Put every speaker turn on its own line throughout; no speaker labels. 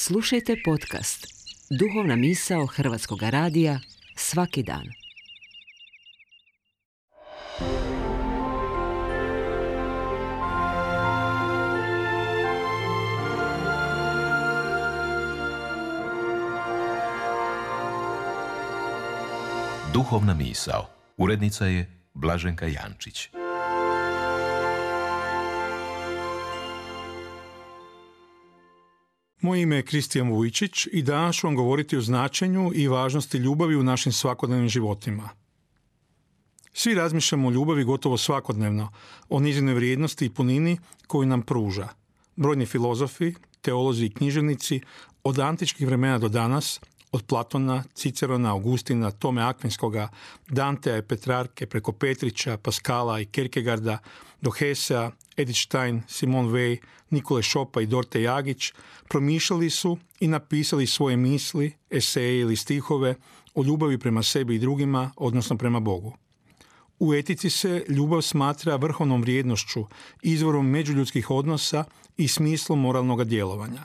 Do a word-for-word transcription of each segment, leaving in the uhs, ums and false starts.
Slušajte podcast Duhovna misao Hrvatskog radija svaki dan.
Duhovna misao. Urednica je Blaženka Jančić.
Moje ime je Kristijan Vujčić i danas ću vam govoriti o značenju i važnosti ljubavi u našim svakodnevnim životima. Svi razmišljamo o ljubavi gotovo svakodnevno, o njezinoj vrijednosti i punini koju nam pruža. Brojni filozofi, teolozi i književnici od antičkih vremena do danas, od Platona, Cicerona, Augustina, Tome Akvinskoga, Dantea i Petrarke, preko Petrića, Paskala i Kierkegaarda, do Hesea, Edith Stein, Simone Weil, Nikole Šopa i Dorte Jagić promišljali su i napisali svoje misli, eseje ili stihove o ljubavi prema sebi i drugima, odnosno prema Bogu. U etici se ljubav smatra vrhovnom vrijednošću, izvorom međuljudskih odnosa i smislom moralnog djelovanja.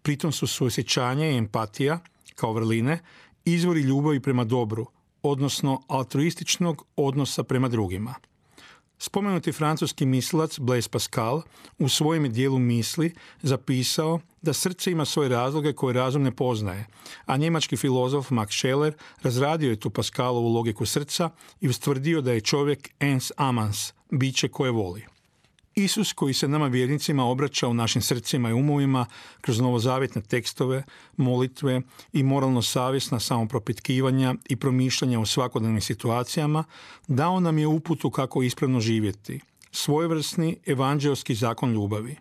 Pritom su suosjećanje i empatija, kao vrline, izvori ljubavi prema dobru, odnosno altruističnog odnosa prema drugima. Spomenuti francuski mislilac Blaise Pascal u svojem dijelu misli zapisao da srce ima svoje razloge koje razum ne poznaje, a njemački filozof Max Scheler razradio je tu Pascalovu logiku srca i ustvrdio da je čovjek ens amans, biće koje voli. Isus koji se nama vjernicima obraća u našim srcima i umovima kroz novozavjetne tekstove, molitve i moralno-savjesna samopropitkivanja i promišljanja u svakodnevnim situacijama, dao nam je uputu kako ispravno živjeti, svojevrsni evanđeoski zakon ljubavi.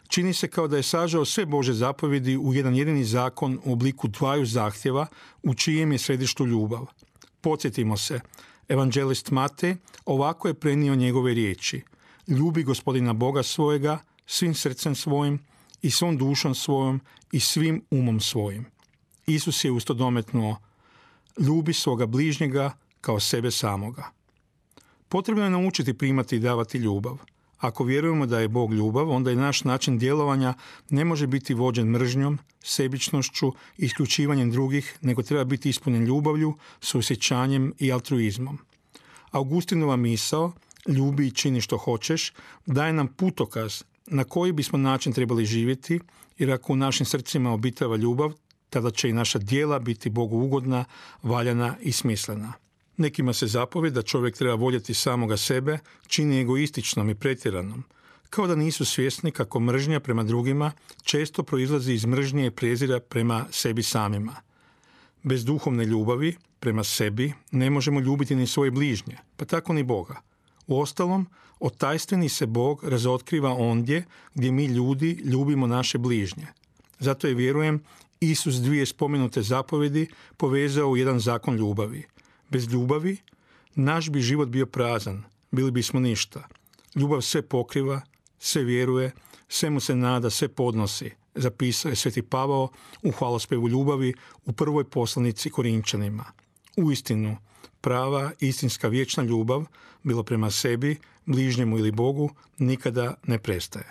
Čini se kao da je sažao sve Božje zapovjedi u jedan jedini zakon u obliku dvaju zahtjeva u čijem je središtu ljubav. Podsjetimo se, evanđelist Matej ovako je prenio njegove riječi: ljubi Gospodina Boga svojega svim srcem svojim i svom dušom svojom i svim umom svojim. Isus je usto dometnuo: ljubi svoga bližnjega kao sebe samoga. Potrebno je naučiti primati i davati ljubav. Ako vjerujemo da je Bog ljubav, onda i naš način djelovanja ne može biti vođen mržnjom, sebičnošću i isključivanjem drugih, nego treba biti ispunjen ljubavlju, suosjećanjem i altruizmom. Augustinova misao ljubi i čini što hoćeš daje nam putokaz na koji bismo način trebali živjeti, jer ako u našim srcima obitava ljubav, tada će i naša djela biti Bogu ugodna, valjana i smislena. Nekima se zapovijed da čovjek treba voljeti samoga sebe čini egoističnom i pretjeranom, kao da nisu svjesni kako mržnja prema drugima često proizlazi iz mržnje i prezira prema sebi samima. Bez duhovne ljubavi prema sebi ne možemo ljubiti ni svoje bližnje, pa tako ni Boga. Uostalom, otajstveni se Bog razotkriva ondje gdje mi ljudi ljubimo naše bližnje. Zato je, vjerujem, Isus dvije spomenute zapovjedi povezao u jedan zakon ljubavi. Bez ljubavi naš bi život bio prazan, bili bismo ništa. Ljubav sve pokriva, sve vjeruje, sve mu se nada, sve podnosi, zapisao je Sveti Pavao u hvalospevu ljubavi u prvoj poslanici Korinčanima. Uistinu, prava, istinska, vječna ljubav, bilo prema sebi, bližnjemu ili Bogu, nikada ne prestaje.